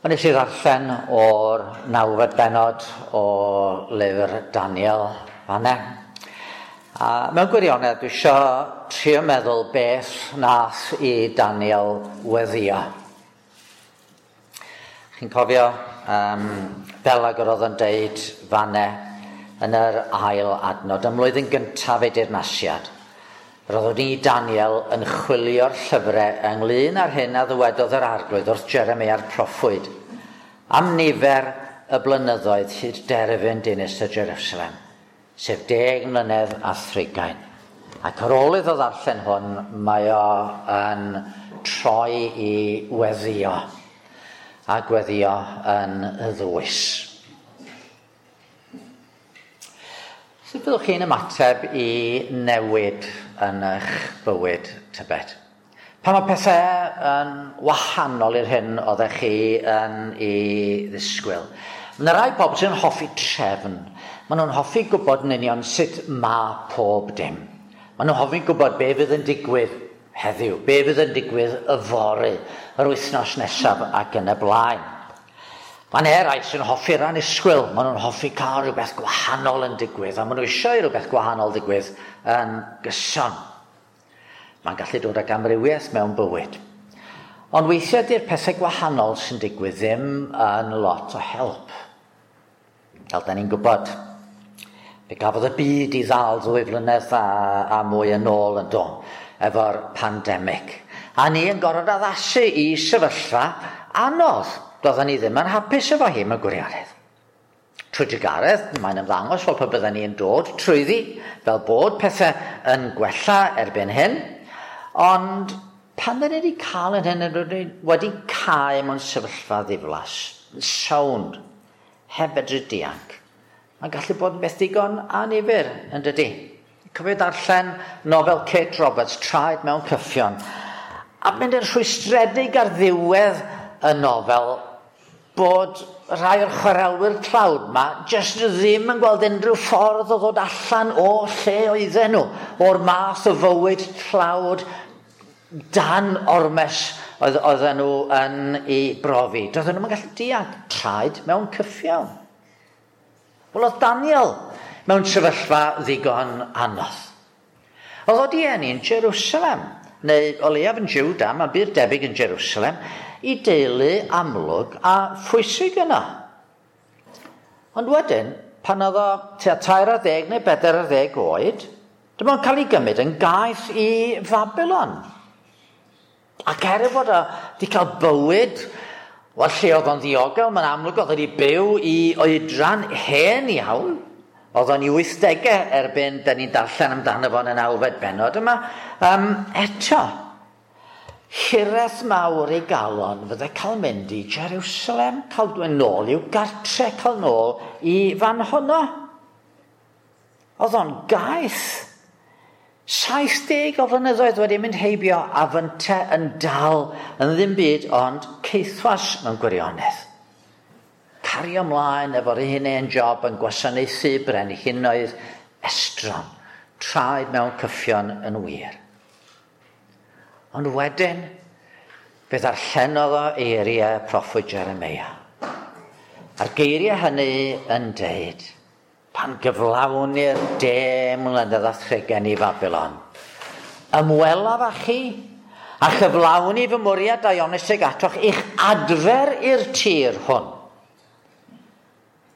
Ond nes i ddarllen o'r nawfed bennod o lyfr Daniel fan'na. A mewn gwirionedd dwi isio trio meddwl beth nath i Daniel weddio. Chi'n cofio fel ag yr oedd yn deud fan'na yn yr ail adnod, ym mlwyddyn gyntaf ei dirnasiad. Roeddwn i, Daniel, yn chwilio'r llyfrau ynglyn â'r hyn a ddywedodd yr arglwydd wrth Jeremia'r proffwyd am nifer y blynyddoedd hyd derfyn dinistr Jerusalem, sef 10 mlynedd a thrigain. Ac ar ôl iddo ddarllen hwn, mae o yn troi i weddio, a gweddio yn y ddwys. Sut fyddwch chi'n ymateb i newid yn eich bywyd, tybed? Pan mae pethau yn wahanol i'r hyn oeddech chi yn ei ddisgwyl. Mae yna rai pobl sy'n hoffi trefn. Maen nhw'n hoffi gwybod yn union sut mae pob dim. Maen nhw'n hoffi gwybod be fydd yn digwydd heddiw, be fydd yn digwydd yfory, yr wythnos nesaf ac yn y blaen. Mae'n eraill sy'n hoffi'r annisgwyl. Maen nhw'n hoffi cael rhywbeth gwahanol yn digwydd, a maen nhw eisiau rhywbeth gwahanol digwydd yn gyson. Mae'n gallu dod ag amrywiaeth mewn bywyd. Ond weithiau di'r pethau gwahanol sy'n digwydd ddim yn lot o help. Fel da ni'n gwybod, fe gafodd y byd i ddal 2 flynedd a mwy yn ôl yn do, efo'r pandemig. A ni yn gorfod addasu i sefyllfa anodd. Doedden ni ddim yn hapus efo hi mewn gwirionedd. Trwy drugaredd, mae'n ymddangos fel pe bydden ni yn dod trwyddi, fel bod pethau yn gwella erbyn hyn. Ond pan dyn ni wedi cael yn hyn, wedi cael mewn sefyllfa ddiflas, sownd, heb fedru dianc, mae'n gallu bod yn beth digon annifyr, yn dydy. Cofio darllen nofel Kate Roberts, Traed mewn Cyffion, a mynd yn rhwystredig ar ddiwedd y nofel bod rhai o'r chwarelwyr tlawd ma jyst ddim yn gweld unrhyw ffordd o ddod allan o lle oedden nhw, o'r math o fywyd tlawd dan ormes oedden nhw yn ei brofi. Doedden nhw'n gallu dianc, traed mewn cyffion. Wel, oedd Daniel mewn sefyllfa ddigon anodd. Oedd o di eni yn Jerusalem, neu o leiaf yn Juda, mae'n bur debyg yn Jerusalem, i deulu amlwg a phwysig yna. Ond wedyn, pan oedd o tua 13 neu 14 oed, dyma o'n cael ei gymryd yn gaeth i Fabilon. Ac er ei fod o wedi cael bywyd, wel, lle oedd o'n ddiogel, mae'n amlwg oedd wedi byw i oedran hen iawn. Oedd o'n i 80au erbyn, da ni'n darllen amdano fo yn y nawfed bennod yma. Eto, hiraeth mawr ei galon fydde cael mynd i Jerusalem, cael dod nôl i'w gartre, cael nôl i fan honno. Oedd o'n gaeth. 70 o flynyddoedd wedi mynd heibio a fynte yn dal yn ddim byd ond caethwas mewn gwirionedd. Cario ymlaen efo'r un hen job yn gwasanaethu brenhinoedd estron, traed mewn cyffion yn wir. Ond wedyn, fe ddarllenodd o eiriau proffwyd Jeremia. A'r geiriau hynny yn deud, pan gyflawnir 10 mlynedd a thrigain i Fabilon, ymwelaf â chi a chyflawni fy mwriad daionus atoch i'ch adfer i'r tir hwn.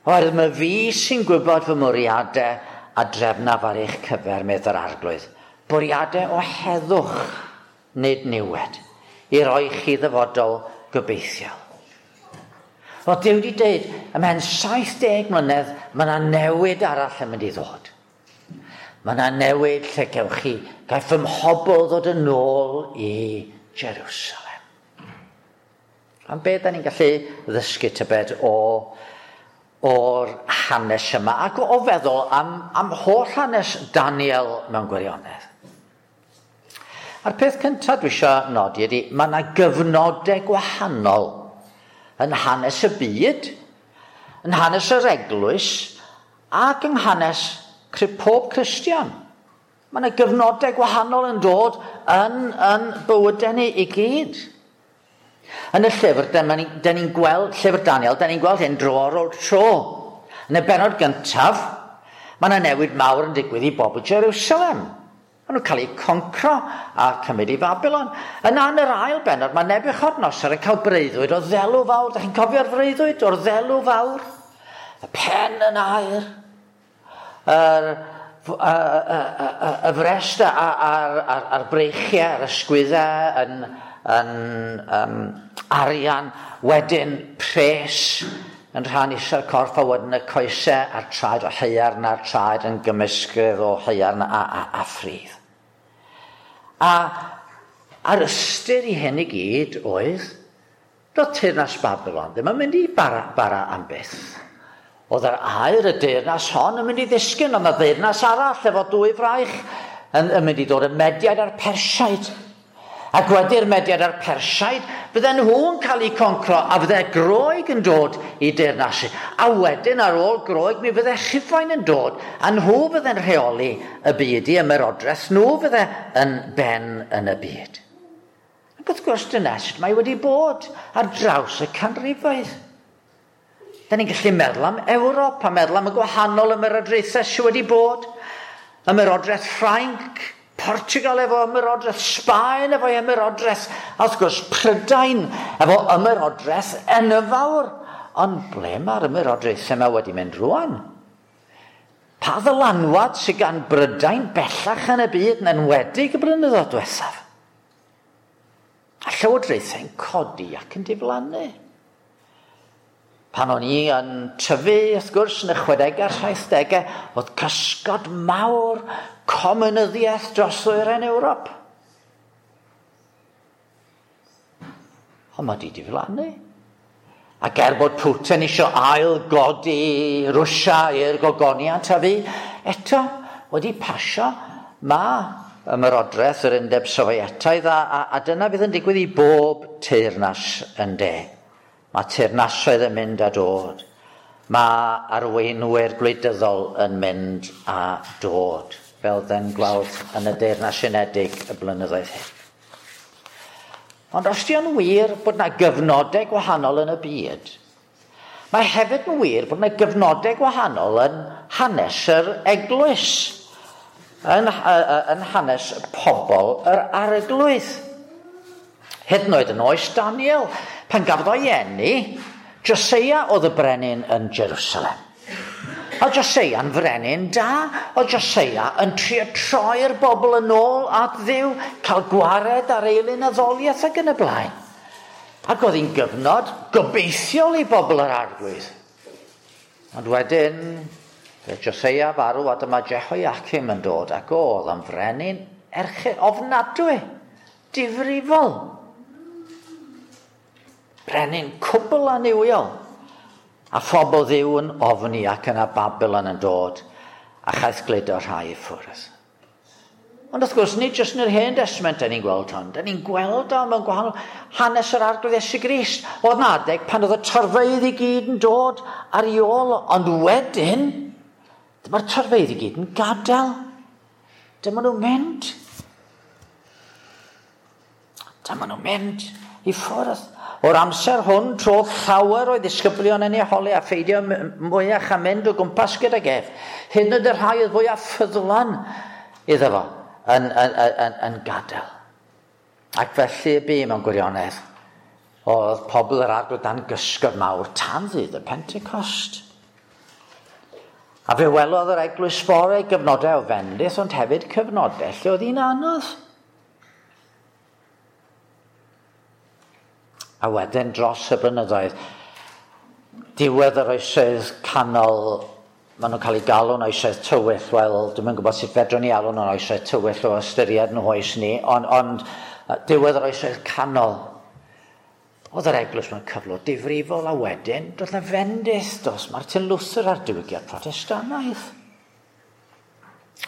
Oherwydd mae fi sy'n gwybod fy mwriadau a drefnaf ar eich cyfer, medd yr arglwydd. Bwriadau o heddwch, nid niwed, i roi chi ddyfodol gobeithiol. Wel, Duw wedi dweud, ymhen 70 mlynedd, mae yna newid arall yn mynd i ddod. Mae yna newid lle gewch chi, gaiff fy mhobl ddod yn ôl i Jerusalem. Am be da ni'n gallu ddysgu tybed o'r hanes yma, ac o feddwl am holl hanes Daniel mewn gwirionedd. A'r peth cyntaf dwi eisiau nodi ydy, mae yna gyfnodau gwahanol yn hanes y byd, yn hanes yr eglwys, ac yng hanes pob Cristion. Mae yna gyfnodau gwahanol yn dod yn bywydau ni i gyd. Yn y llyfr, da ni'n gweld, llyfr Daniel, da ni'n gweld hyn dro ar ôl tro. Yn y bennod gyntaf, mae yna newid mawr yn digwydd i bobl Jerusalem. Maen nhw'n cael eu concro a cymryd i Babylon. Yna yn yr ail bennod, mae Nebuchadnezzar yn cael breuddwyd o ddelw fawr. Da chi'n cofio'r freuddwyd o'r ddelw fawr? Y pen yn aur, y frest a'r breichiau, a'r ysgwyddau yn arian, wedyn pres yn rhan isa'r corff, a wedyn y coesau a'r traed o haearn a'r traed yn gymysgedd o haearn a ffridd. A a'r ystyr i hyn i gyd oedd, doedd teyrnas Babylon ddim yn mynd i bara am byth. Oedd yr aur y deyrnas hon yn mynd i ddisgyn, ond y deyrnas arall efo dwy fraich yn mynd i dod y Mediaid a'r Persiaid. Ac wedi'r Mediaid a'r Persiaid, fydden nhw'n cael eu concro a fydde Groeg yn dod i deyrnasu. A wedyn ar ôl Groeg mi fydde Rhufain yn dod a nhw fydde'n rheoli y byd i ymerodraeth, nhw fydde yn ben yn y byd. Ac wrth gwrs dyna sut mae wedi bod ar draws y canrifoedd. Da ni'n gallu meddwl am Ewrop a meddwl am y gwahanol ymerodraethau sydd wedi bod. Ymerodraeth Ffrainc, Portugal efo ymerodraeth, Sbaen efo ymerodraeth, a wrth gwrs Prydain efo ymerodraeth enfawr. Ond ble mae'r ymerodraethau yma wedi mynd rwan? Pa ddylanwad sydd gan Brydain bellach yn y byd yn enwedig y blynyddoedd diwethaf? A llywodraethau'n codi ac yn diflannu. Pan o'n i yn tyfu, wrth gwrs, yn y 60au a'r 70au, oedd cysgod mawr comunyddiaeth dros ddwyrain Ewrop. Ond mae di diflannu. Ac er bod Putin isio ail godi Rwsia i'r gogoniant a fi, eto wedi pasio mae ymerodraeth yr Undeb Sofietaidd a dyna fydd yn digwydd i bob teyrnas yn de. Mae teyrnasoedd yn mynd a dod. Mae arweinwyr gwleidyddol yn mynd a dod, fel dden gweld yn y Deyrnas Unedig y blynyddoedd hyn. Ond os di o'n wir bod yna gyfnodau gwahanol yn y byd, mae hefyd yn wir bod yna gyfnodau gwahanol yn hanes yr eglwys, yn hanes pobl yr arglwydd. Hyd yn oed yn oes Daniel, pan gafodd o'i eni, Joseia oedd y brenin yn Jerusalem. Oedd Joseia'n frenin da, oedd Joseia yn trio troi'r bobl yn ôl at Dduw, cael gwared ar eilun addoliaeth ac yn y blaen. Ac oedd hi'n gyfnod gobeithiol i bobl yr arglwydd. Ond wedyn, fe Joseia farw a dyma Jehoiakim yn dod ac oedd yn frenin erchyll, ofnadwy, difrifol. Brenin cwbl annuwiol. A phobl Dduw yn ofni ac yna Babylon yn dod a chaeth gludo rhai i ffwrdd. Ond wrth gwrs, nid jyst yn yr Hen Testament da ni'n gweld hwn. Da ni'n gweld o mewn gwahanol hanes yr Arglwydd Iesu Grist. Oedd 'na adeg pan oedd y torfeydd i gyd yn dod ar ei ôl, ond wedyn, dyma'r torfeydd i gyd yn gadael. Dyma nhw'n mynd. Dyma nhw'n mynd i ffwrdd. O'r amser hwn, trodd llawer o'i ddisgyblion yn ei holi a pheidio mwyach a mynd o gwmpas gydag ef. Hyd yn oed y rhai oedd fwyaf ffyddlon iddo fo yn gadael. Ac felly y bu mewn gwirionedd. Oedd pobl yr Arglwydd dan gysgod mawr tan ddydd y Pentecost. A fe welodd yr eglwys fore gyfnodau o fendith, ond hefyd cyfnodau lle oedd hi'n anodd. A wedyn dros y blynyddoedd, diwedd yr oesoedd canol, maen nhw'n cael eu galw'n oesoedd tywyll. Wel, dwi'm yn gwybod sut fedrwn ni alw nhw'n oesoedd tywyll o ystyried nhw oes ni, ond diwedd yr oesoedd canol, oedd yr eglwys mewn cyflwr difrifol, a wedyn doedd 'na fendith dros Martin Luther a'r diwygiad Protestannaidd.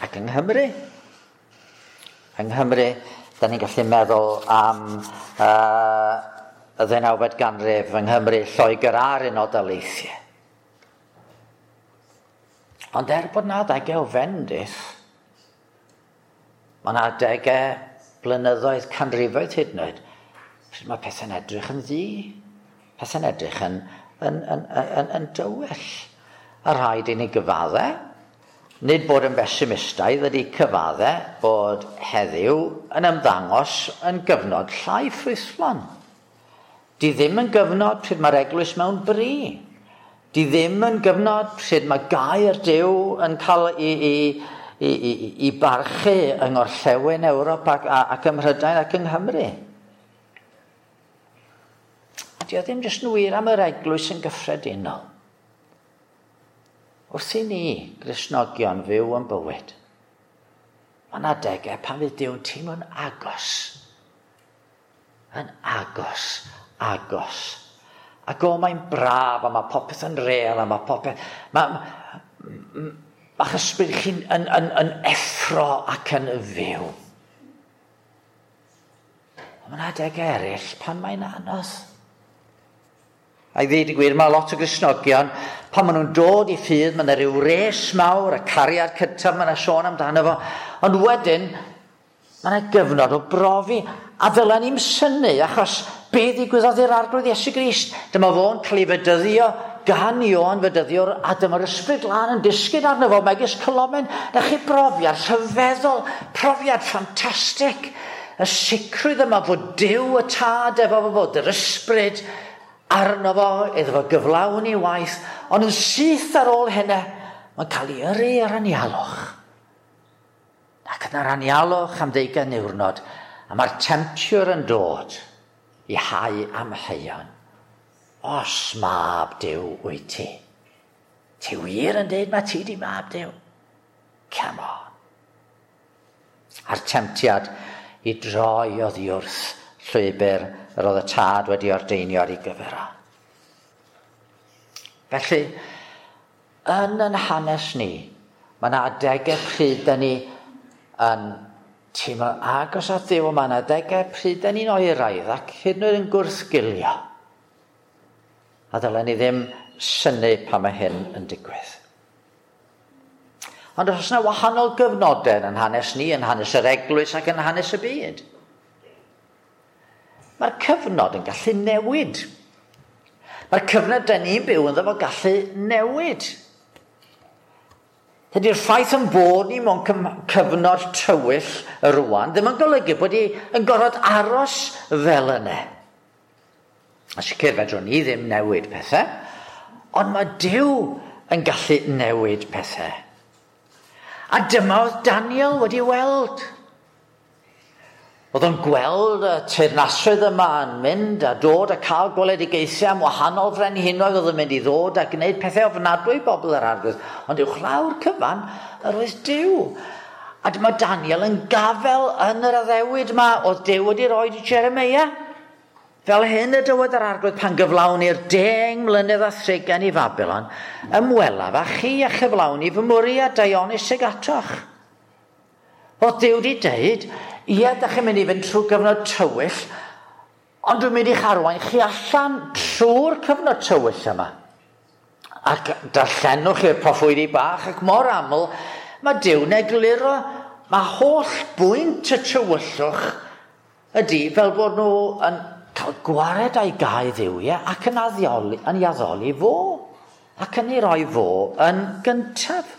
Ac yng Nghymru, da ni'n gallu meddwl am y 19fed ganrif yng Nghymru, Lloegr a'r Unol Daleithiau. Ond er bod 'na adegau o fendith, mae 'na adegau blynyddoedd, canrifoedd hyd yn oed, Pryd mae pethau'n edrych yn ddu, pethau'n edrych yn dywyll. A rhaid i ni gyfadde, nid bod yn besimistaidd ydy cyfadde bod heddiw yn ymddangos yn gyfnod llai ffrwythlon. Di ddim yn gyfnod pryd mae'r eglwys mewn bri. Di ddim yn gyfnod pryd mae gair Duw yn cael i barchu yng Ngorllewin Ewrop ac ym Mhrydain ac yng Nghymru. A di o ddim jyst yn wir am yr eglwys yn gyffredinol. Wrth i ni, Gristnogion, fyw yn bywyd, mae yna adegau pan fydd Duw'n teimlo'n agos. Yn agos, agos. Ac o, mae'n braf, a mae popeth yn real, a mae popeth... Mae'ch ysbryd chi'n yn effro ac yn fyw. Ond mae yna adegau eraill pan mae'n anodd. A i ddweud y gwir, mae lot o Gristnogion, pan maen nhw'n dod i ffydd, mae yna rhyw res mawr, y cariad cyntaf, mae yna sôn amdano fo. Ond wedyn, mae yna gyfnod o brofi. A ddylen ni'm synnu, achos be ddigwyddodd i'r Arglwydd Iesu Grist? Dyma fo'n cael ei fedyddio gan Ioan Fedyddiwr, a dyma'r Ysbryd Glân yn disgyn arno fo, megis colomen. Na chi brofiad rhyfeddol, profiad ffantastig. Y sicrwydd yma fod Duw y Tad efo fo, fod yr Ysbryd arno fo, iddo fo gyflawni waith, ond yn syth ar ôl hynny, mae'n cael ei yrru ar anialwch. Ac yn yr anialwch am 20 niwrnod, a mae'r temtiwr yn dod i hau amheuon. Os mab Duw wyt ti, ti wir yn deud mae ti di mab Duw? Come on. A'r temtiad i droi oddi wrth llwybr yr oedd y tad wedi ordeinio ar ei gyfer o. Felly, yn yn hanes ni, mae yna adegau pryd da ni yn teimlo agos at Dduw, mae yna adegau pryd da ni'n oeraidd ac hyd yn oed yn gwrthgilio. A ddylen ni ddim synnu pan mae hyn yn digwydd. Ond os yna wahanol gyfnodau yn hanes ni, yn hanes yr eglwys ac yn hanes y byd, mae'r cyfnod yn gallu newid. Mae'r cyfnod da ni'n byw ynddo fo gallu newid. Dydy'r ffaith yn bod ni mewn cyfnod tywyll rwan ddim yn golygu bod ni yn gorfod aros fel yna. A sicr fedrwn ni ddim newid pethau, ond mae Duw yn gallu newid pethau. A dyma oedd Daniel wedi weld. Oedd o'n gweld y teyrnasoedd yma yn mynd a dod a cael gweledigaethau am wahanol frenhinoedd oedd yn mynd i ddod a gwneud pethau ofnadwy i bobl yr Arglwydd. Ond uwchlaw'r cyfan, yr oedd Duw. A dyma Daniel yn gafel yn yr addewid yma oedd Duw wedi rhoi i Jeremia. Fel hyn y dywed yr Arglwydd pan gyflawni'r 10 mlynedd a thrigain i Fabilon, ymwelaf â chi a chyflawni fy mwriad daionus ag atoch. Oedd Duw wedi deud, ie, da chi'n mynd i fynd trwy gyfnod tywyll, ond dwi'n mynd i'ch arwain chi allan trwy'r cyfnod tywyll yma. Ac darllenwch i'r proffwydi bach, ac mor aml, mae Duw'n egluro, mae holl bwynt y tywyllwch ydy fel bod nhw yn cael gwared a'i gau dduwiau ac yn addoli, yn ei addoli fo, ac yn ei roi fo yn gyntaf.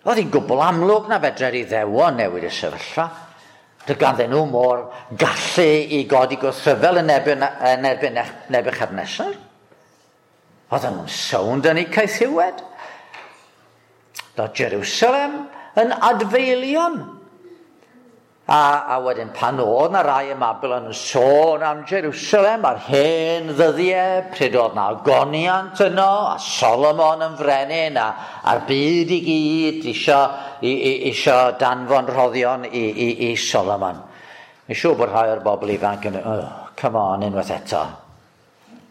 Oedd hi'n gwbl amlwg na fedre'r Iddewon newid y sefyllfa. Doedd ganddyn nhw mor gallu i godi gwrthryfel yn erbyn Nebuchadnezzar. Oedden nhw'n sownd yn eu caethiwed. Doedd Jerusalem yn adfeilion. A wedyn pan oedd na rai ym Mabilon yn sôn am Jerusalem a'r hen ddyddiau, pryd oedd na ogoniant yno, a Solomon yn frenin, a'r byd i gyd isio danfon rhoddion i Solomon. Mi'n siŵr bod rhai o'r bobl ifanc yn, oh, come on, unwaith eto.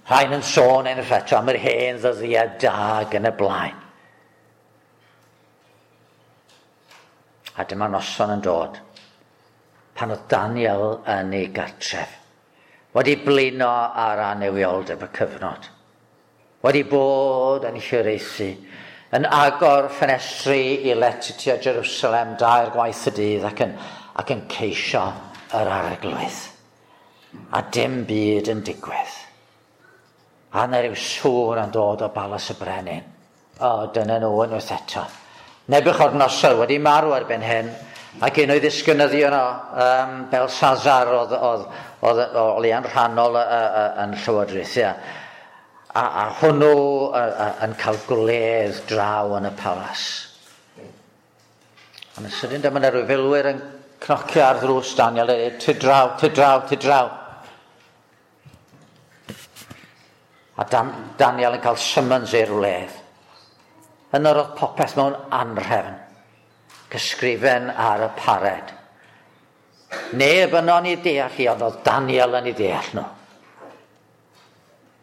Rhain yn sôn unwaith eto am yr hen ddyddiau da ac yn y blaen. A dyma noson yn dod, pan oedd Daniel yn ei gartref, wedi blino ar annuwioldeb y cyfnod, wedi bod yn hiraethu, yn agor ffenestri i lety tua Jerusalem 2 gwaith y dydd ac yn ceisio yr Arglwydd. A dim byd yn digwydd. A yna rhyw sŵn yn dod o balas y brenin. O, dyna nhw unwaith eto. Nebuchadnezzar wedi marw erbyn hyn, ac un o'i ddisgynyddion o, Belshazzar, oedd o leia'n rhannol yn llywodraethu. A hwnnw yn cael gwledd draw yn y palas. Ond yn sydyn dyma yna rhyw filwyr yn cnocio ar ddrws Daniel, a dweud, "Tyd draw, tyd draw, tyd draw." A Daniel yn cael summons i'r wledd. Yno roedd popeth mewn anrhefn, gysgrifen ar y pared. Neb yno'n ei deall i, ond oedd Daniel yn ei deall nhw.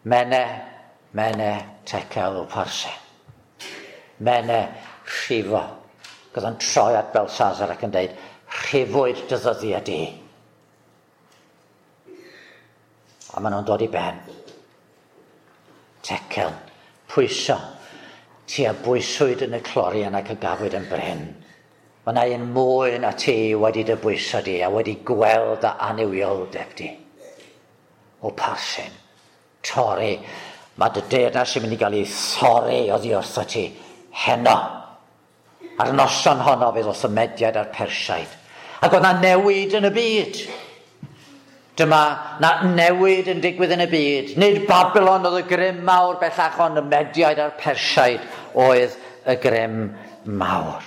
Mene, mene, tekel upharsin. Mene, rhifo. Gyda'n o'n troi at Belshazzar ac yn dweud, "Rhifwyd dy ddyddiau di." A maen nhw'n dod i ben. Tekel, pwyso. Ti a bwyswyd yn y clorian ac y gafwyd yn brin. Mae yna un mwy na ti wedi dy bwyso di a wedi gweld dy annuwioldeb di. Upharsin, torri. Mae dy deyrnas yn mynd i gael ei thorri oddi wrtho ti heno. A'r noson honno fe ddoth y Mediaid a'r Persiaid. Ac oedd na newid yn y byd. Dyma na newid yn digwydd yn y byd. Nid Babylon oedd y grym mawr bellach, ond y Mediaid a'r Persiaid oedd y grym mawr.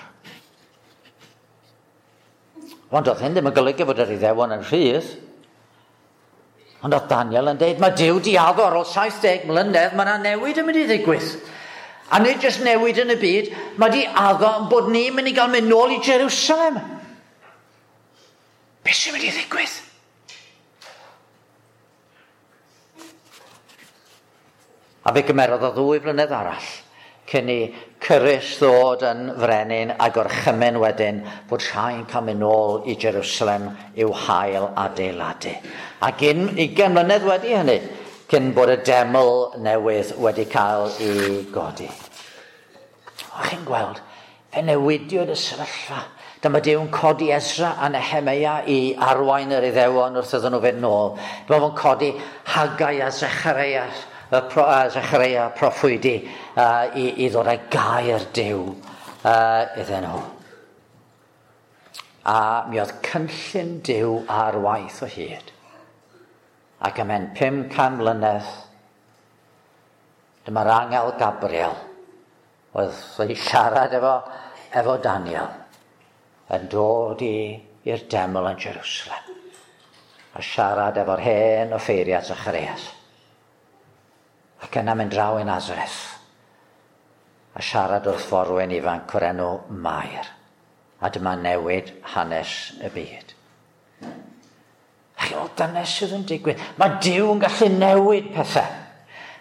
Ond oedd hyn ddim yn golygu fod yr Iddewon yn rhydd. Ond oedd Daniel yn deud, mae Duw di addo ar ôl 70 mlynedd, mae yna newid yn mynd i ddigwydd. A nid jyst newid yn y byd, mae di addo bod ni'n mynd i gael mynd nôl i Jerusalem. Be sy'n mynd i ddigwydd? A fe gymerodd o 2 flynedd arall cyn i Cyrus ddod yn frenin a gorchymyn wedyn bod rhai'n cael mynd nôl i Jerusalem i'w hail adeiladu. Ac 20 mlynedd wedi hynny, cyn bod y deml newydd wedi cael ei godi. O, chi'n gweld, fe newidiwyd y sefyllfa. Dyma Duw'n codi Esra a Nehemia i arwain yr Iddewon wrth iddyn nhw fynd nôl. Dyma fo'n codi Haggai a Zechareia, Zechareia proffwydi i ddod â gair Duw iddyn nhw. A mi oedd cynllun Duw ar waith o hyd. Ac ymhen 500 mlynedd, dyma'r angel Gabriel oedd wedi siarad efo Daniel yn dod i'r deml yn Jerusalem a siarad efo'r hen offeiriad Zacharias. Ac yna mynd draw i Nazareth a siarad wrth forwyn ifanc o'r enw Mair. A dyma newid hanes y byd. A chi'n meddwl, dyna sydd yn digwydd. Mae Duw yn gallu newid pethau.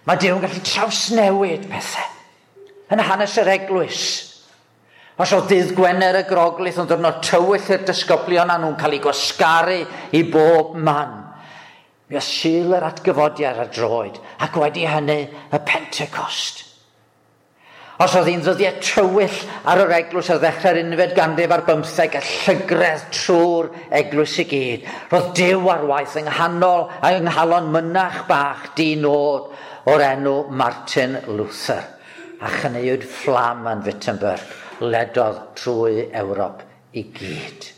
Mae Duw yn gallu trawsnewid pethau. Yn hanes yr eglwys. Os oedd dydd Gwener y Groglith yn ddiwrnod tywyll i'r disgyblion a nhw'n cael eu gwasgaru i bob man. Mi oedd Sul yr atgyfodiad ar droed, ac wedi hynny y Pentecost. Os oedd hi'n ddyddiau tywyll ar yr eglwys ar ddechrau'r 15 ganrif ar 15 a llygredd trwy'r eglwys i gyd, roedd Duw ar waith yng nghanol a yng nghalon mynach bach di-nod o'r enw Martin Luther, a chynneuwyd fflam yn Wittenberg, ledodd trwy Ewrop i gyd.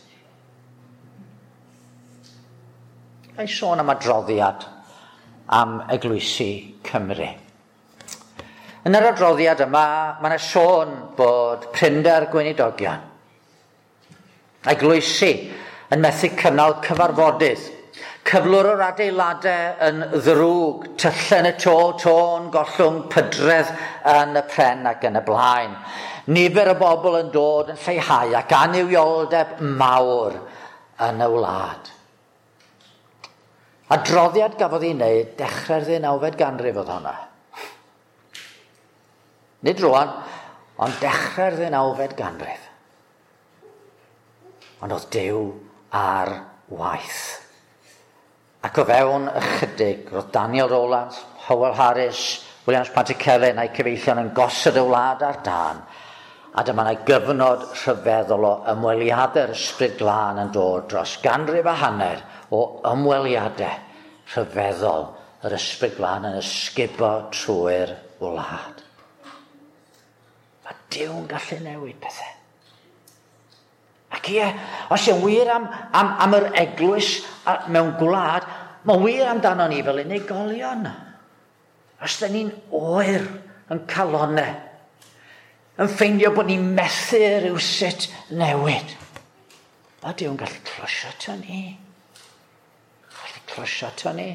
Ga i sôn am adroddiad am eglwysi Cymru. Yn yr adroddiad yma, mae yna sôn bod prinder gweinidogion. Eglwysi yn methu cynnal cyfarfodydd. Cyflwr yr adeiladau yn ddrwg, tyllau yn y to, tôn, gollwng, pydredd yn y pren ac yn y blaen. Nifer y bobl yn dod yn lleihau ac annuwioldeb mawr yn y wlad. Adroddiad gafodd ei wneud dechrau'r 19fed ganrif oedd hwnna. Nid rwan, ond dechrau'r 19fed ganrif. Ond oedd Duw ar waith. Ac o fewn ychydig, roedd Daniel Rowlands, Howell Harris, Williams Pantycelyn a'i cyfeillion yn gosod y wlad ar dân. A dyma yna gyfnod rhyfeddol o ymweliadau'r Ysbryd Glân yn dod dros ganrif a hanner o ymweliadau rhyfeddol yr Ysbryd Glân yn ysgubo trwy'r wlad. Mae Duw'n gallu newid pethau. Ac ie, os yw'n wir am yr eglwys mewn gwlad, mae'n wir amdano ni fel unigolion. Os da ni'n oer yn calonau, yn ffeindio bod ni'n methu rhywsut newid, mae Duw'n gallu closio ato ni. Gallu closio ato ni.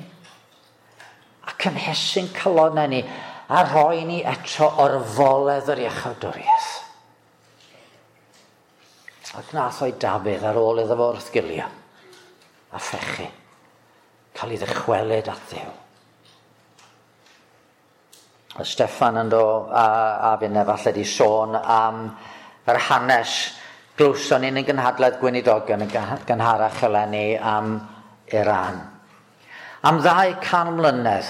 A cynhesu'n calonau ni, a rhoi ni eto orfoledd yr iachawdwriaeth. Ac nath o'i Dafydd ar ôl iddo fo wrthgilio a phechu, cael ei ddychwelyd at Dduw. A Steffan yn do a finne falle di sôn am yr hanes glywson ni'n gynhadledd gweinidogion yn gynharach eleni am Iran. Am 200 mlynedd,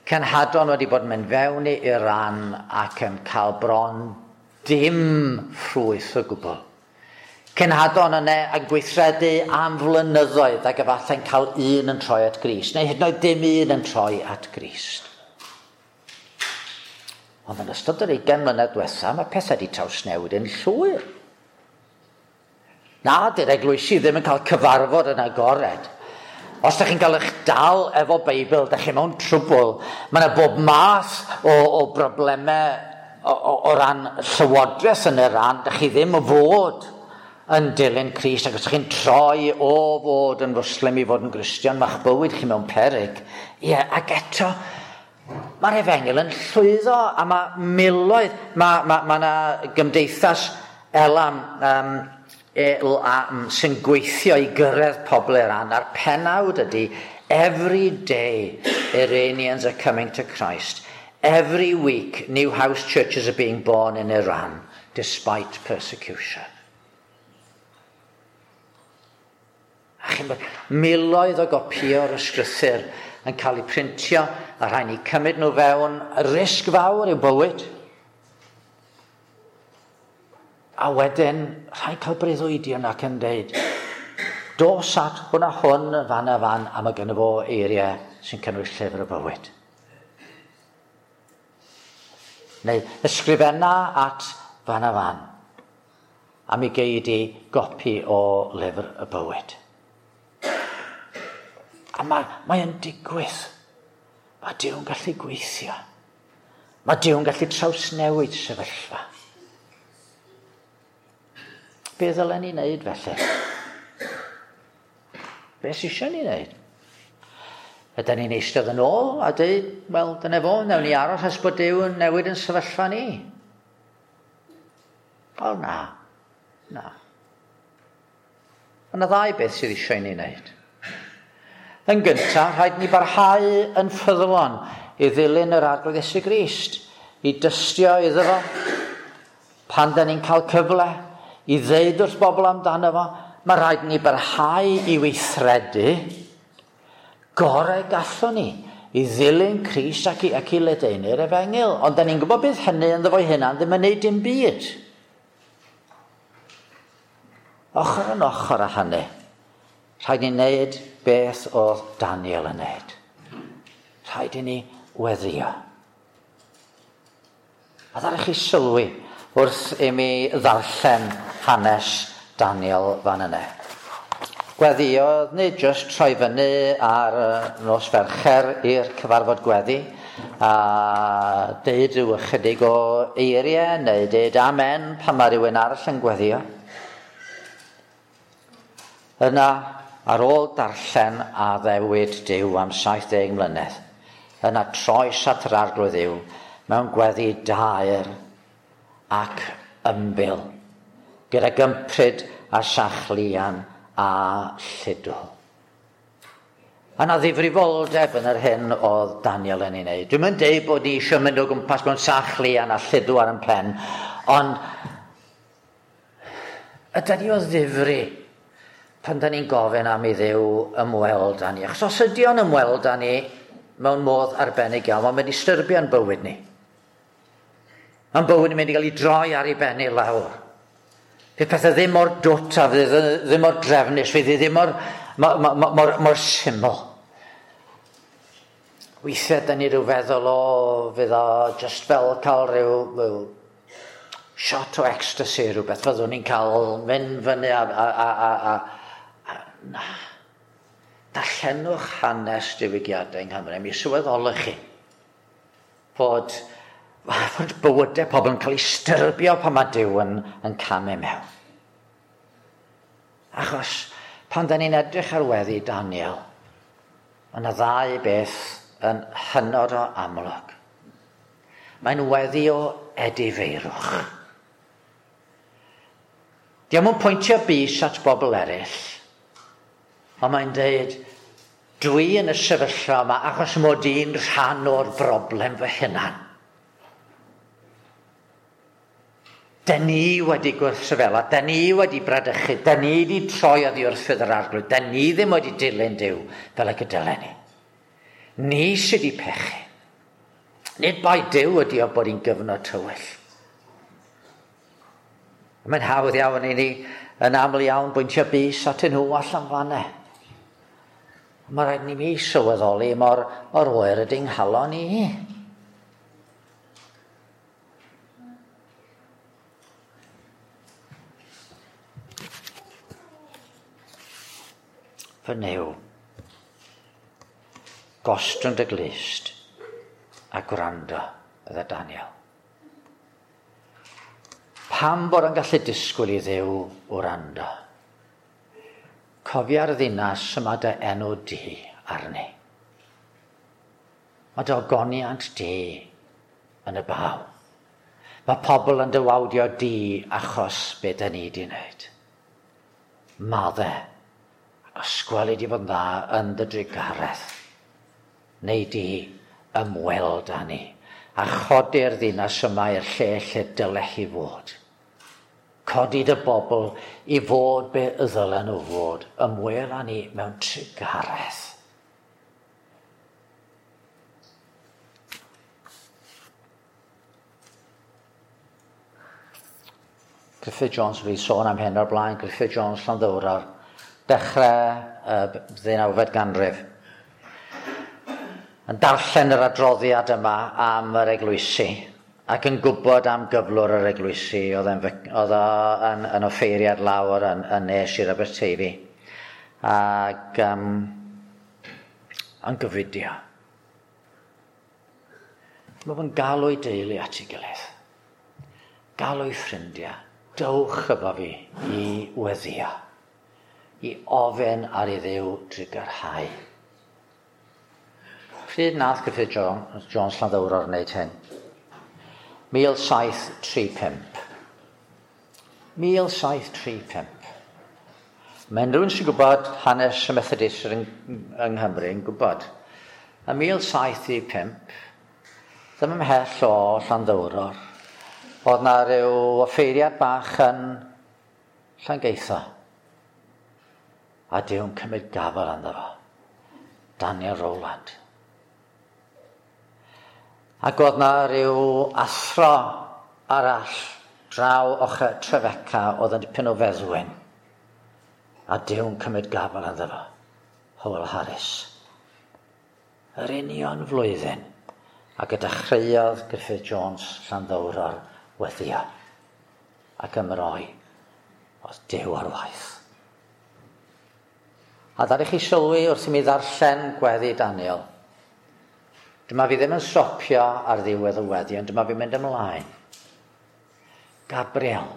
cenhadon wedi bod yn mynd fewn i Iran ac yn cael bron dim ffrwyth o gwbl. Cenhadon yna yn gweithredu am flynyddoedd ac efallai'n cael un yn troi at Grist, neu hyd yn oed dim un yn troi at Grist. Ond yn ystod yr 20 mlynedd diwetha, mae pethau wedi trawsnewid yn llwyr. Na, dy'r eglwysi ddim yn cael cyfarfod yn agored. Os ydych chi'n cael eich dal efo Beibl, ydych chi mewn trwbl. Mae yna bob math o broblemau o ran llywodraeth yn Iran. Ydych chi ddim o fod yn dilyn Crist, ac os ydych chi'n troi o fod yn Fwslim i fod yn Gristion, mae'ch bywyd chi mewn peryg. Ie, ac eto, mae'r efengyl yn llwyddo, a mae miloedd, mae yna gymdeithas Elam, sy'n gweithio i gyrraedd pobl Iran, a'r penawd ydy, every day Iranians are coming to Christ. Every week new house churches are being born in Iran, despite persecution. A chi'n bod, miloedd o gopïo'r ysgrythur yn cael eu printio, a rhaid ni cymryd nhw fewn, risg fawr i'w bywyd. A wedyn, rhaid cael breuddwydion ac yn deud, dos at hwn a hwn, fan a fan, a mae gynno fo eiriau sy'n cynnwys llyfr y bywyd. Neu ysgrifenna at fan a fan, a mi gei di gopi o lyfr y bywyd. A mae yn digwydd. Mae Duw'n gallu gweithio. Mae Duw'n gallu trawsnewid sefyllfa. Be ddylen ni wneud felly? Be sy eisiau ni wneud? Ydyn ni'n eistedd yn ôl a dweud, wel, dyna fo, wnawn ni aros nes bod Duw yn newid yn sefyllfa ni. Wel, na. Na. Mae yna ddau beth sydd eisiau ni wneud. Yn gyntaf, rhaid ni barhau yn ffyddlon i ddilyn yr Arglwydd Iesu Grist, i dystio iddo fo, pan da ni'n cael cyfle i ddeud wrth bobl amdano fo, mae rhaid ni barhau i weithredu gorau gallwn ni i ddilyn Crist ac i ledaenu'r efengyl. Ond da ni'n gwybod bydd hynny ynddo fo'i hunan ddim yn neud dim byd. Ochr yn ochr â hynny, rhaid ni wneud beth oedd Daniel yn wneud. Rhaid i ni weddio. A ddaru chi sylwi wrth i mi ddarllen hanes Daniel fan yna. Gweddiodd nid jyst troi fyny ar nos Fercher i'r cyfarfod gweddi a deud rhyw ychydig o eiriau neu deud amen pan mae rhywun arall yn gweddio. Yna, ar ôl darllen addewid Duw am 70 mlynedd, yna troes at yr Arglwydd Dduw mewn gweddi daer ac ymbil, gyda gympryd a sachlian a lludw. A yna ddifrifoldeb yn yr hyn oedd Daniel yn ei wneud. Dwi'm yn deud bod ni eisiau mynd o gwmpas mewn sachlian a lludw ar ein pen, ond ydy ni o ddifri pan da ni'n gofyn am i Dduw ymweld â ni. Achos os ydy o'n ymweld â ni mewn modd arbennig iawn, mae'n mynd i styrbio'n bywyd ni. Mae'n bywyd yn mynd i gael ei droi ar ei ben i lawr. Fydd pethau ddim mor dwt a fydd ddim mor drefnus, fydd ddim mor syml. Weithiau, da ni rhyw feddwl o, fydd o just fel cael rhyw shot o ecstasy rhywbeth. Fyddwn ni'n cael mynd fyny a na. Darllenwch hanes diwygiadau yng Nghymru. Mi sylweddolwch chi fod bywydau pobl yn cael eu styrbio pan mae Duw yn camu mewn. Achos pan da ni'n edrych ar weddi Daniel, mae yna ddau beth yn hynod o amlwg. Mae'n weddi o edifeirwch. Dio'm yn pwyntio bys at bobl eraill, ond mae'n deud, dwi yn y sefyllfa yma achos mod i'n rhan o'r broblem fy hunan. Da ni wedi gwrthryfela, da ni wedi bradychu, da ni wedi troi oddi wrth ffydd yr Arglwydd, da ni ddim wedi dilyn Duw fel y gydylen ni. Ni sydd wedi pechu. Nid bai Duw ydi o bod hi'n gyfnod tywyll. Mae'n hawdd iawn i ni yn aml iawn bwyntio bys atyn nhw allan fanne. Mae rhaid ni mi sylweddoli mor oer ydy'n nghalon i. Fy Nuw, gostwng dy glust a gwrando, ydda Daniel. Pam bod yn gallu disgwyl i Dduw wrando? Cofia'r ddinas yma dy enw di arni. Mae dy ogoniant di yn y baw. Mae pobl yn dy wawdio di achos be da ni di wneud. Madde, ysgwel i di fod yn dda yn dy drugaredd. Neu di ymweld â ni a chodi'r ddinas yma i'r lle lle dyle hi fod. Codi dy bobl i fod be ddylen nhw fod. Ymwel â ni mewn trugaredd. Griffith Jones, fi sôn am hyn o'r blaen, Griffith Jones Llanddowror, dechrau 19fed ganrif. Yn darllen yr adroddiad yma am yr eglwysi ac yn gwybod am gyflwr yr eglwysi, oedd o yn offeiriad lawr yn ne Sir Aberteifi ac yn gyfudio. Mae fe'n galw ei deulu at ei gilydd, galw ei ffrindiau, dewch efo fi i weddio, i ofyn ar ei Dduw drugarhau. Pryd nath Griffith Jones Llanddowror wneud hyn? 1735. 1735. Mae unrhyw un sy'n gwybod hanes y Methodist yng Nghymru yn gwybod. Yn 1735, ddim ymhell o Llanddowror, oedd na ryw offeiriad bach yn Llangeitho. A Duw'n cymryd gafael ynddo fo. Daniel Rowland. Ac oedd na ryw athro arall draw ochr Trefeca oedd yn dipyn o feddwyn. A Duw'n cymryd gafael ynddo fo. Howell Harris. Yr union flwyddyn ac y dechreuodd Griffith Jones Llanddowror weddio ac ymroi oedd Duw ar waith. A ddaru chi sylwi wrth i mi ddarllen gweddi Daniel. Dyma fi ddim yn stopio ar ddiwedd y weddi, ond dyma fi'n mynd ymlaen. Gabriel,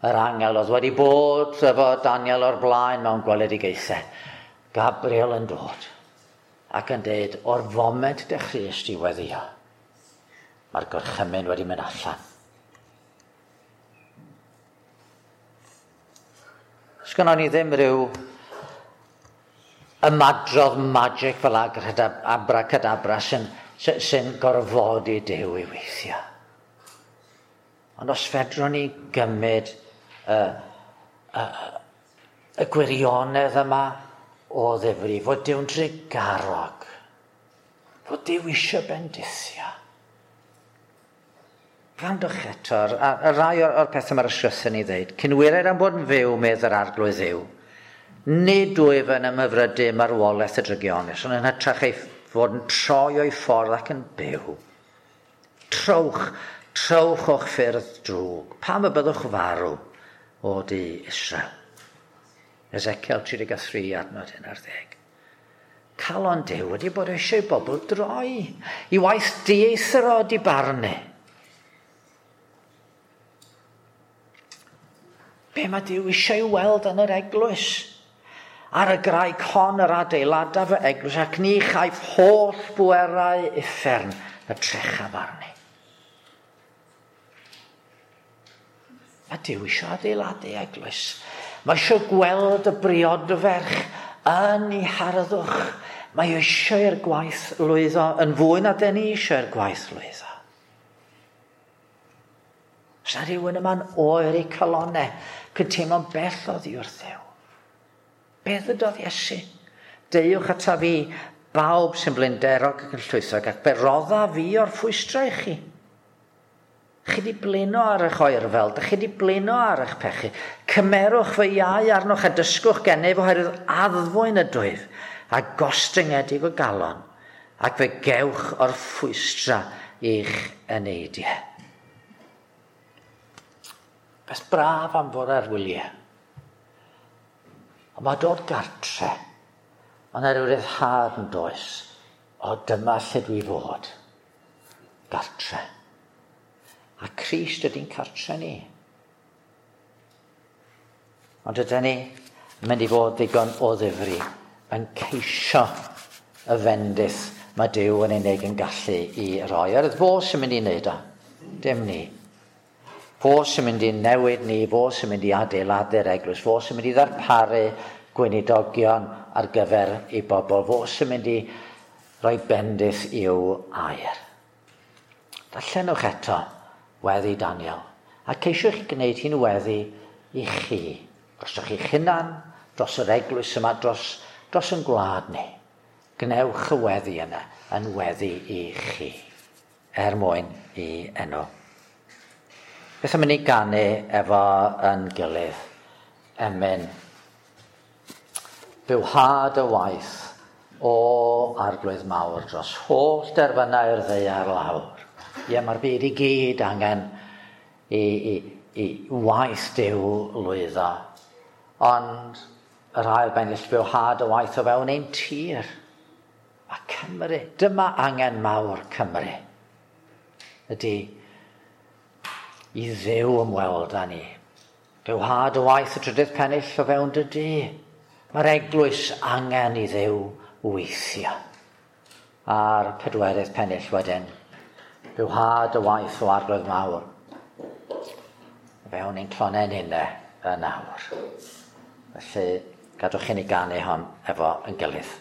yr angel oedd wedi bod efo Daniel o'r blaen mewn gweledigaethau. Gabriel yn dod ac yn deud, o'r foment dechreuais di weddio, mae'r gorchymyn wedi mynd allan. Sgynnon ni ddim rhyw ymadrodd magic fel abracadabra sy'n gorfodi Duw i weithio. Ond os fedrwn ni gymryd y gwirionedd yma o ddifri, fod Duw'n drugarog, fod Duw eisiau bendithio. Gwrandwch eto, a rai o'r pethau mae'r ysgrythur ni ddeud, cyn wired am bod yn fyw, medd yr Arglwydd Dduw, nid wyf yn ymhyfrydu marwolaeth y drygionus, ond yn hytrach ei fod yn troi o'i ffordd ac yn byw. Trowch, trowch o'ch ffyrdd drwg. Pam y byddwch farw o di Israel? Ezekiel 33 adnod 11. Calon Duw wedi bod eisiau bobl droi i waith dieithr o di barnu. Be mae Duw eisiau weld yn yr eglwys? Ar y graig hon yr adeiladaf fy eglwys ac ni chaiff holl bwerau uffern y trechaf arni. Mae Duw eisiau adeiladu eglwys. Mae eisiau gweld y briodferch yn ei harddwch. Mae eisiau i'r gwaith lwyddo yn fwy na den ni eisiau i'r gwaith lwyddo. Os na rhywun yma'n oer eu calonau, cyn teimlo'n bell oddi wrth Dduw. Be ddydodd Iesu? Deuwch ata fi, bawb sy'n blinderog ac yn llwythog, ac be rodda fi o'r ffwystra i chi. Chi di blino ar eich oerfel, dych chi di blino ar eich pechu. Cymerwch fy iau arnoch a dysgwch gennyf oherwydd addfwyn ydwyf a gostyngedig o galon, ac fe gewch o'r ffwystra i'ch eneidiau. Beth braf am fod ar wyliau. Ond mae dod gartre, mae yna ryw ryddhad yn does. O, dyma lle dwi fod. Gartre. A Crist ydy'n cartre ni. Ond ydyn ni yn mynd i fod ddigon o ddifri yn ceisio y fendith mae Duw yn unig yn gallu i roi. Er fo sy'n mynd i wneud o, dim ni. Fo sy'n mynd i newid ni, fo sy'n mynd i adeiladu'r eglwys, fo sy'n mynd i ddarparu gweinidogion ar gyfer ei bobl, fo sy'n mynd i roi bendith i'w air. Darllenwch eto weddi Daniel, a ceisiwch gwneud hi'n weddi i chi, drosoch chi'ch hunan, dros yr eglwys yma, dros, dros yn gwlad ni. Gwnewch y weddi yna yn weddi i chi, er mwyn i enw. Beth am i ni ganu efo yn gilydd? Emyn. Bywhad y waith o arglwydd mawr dros holl derfynau'r ddaear lawr. Ie, mae'r byd i gyd angen i, i, i waith Duw lwyddo. Ond yr ail bennill bywhad y waith o fewn ein tir. Mae Cymru, dyma angen mawr Cymru. Ydy i Dduw ymweld â ni. Bywhad y waith y trydydd pennill o fewn dy dŷ. Mae'r eglwys angen i Dduw weithio. A'r pedwerydd pennill wedyn. Bywhad y waith o arglwydd mawr. O fewn ein clonau'n unne yn awr. Felly, gadwch i ni ganu hon efo yn gilydd.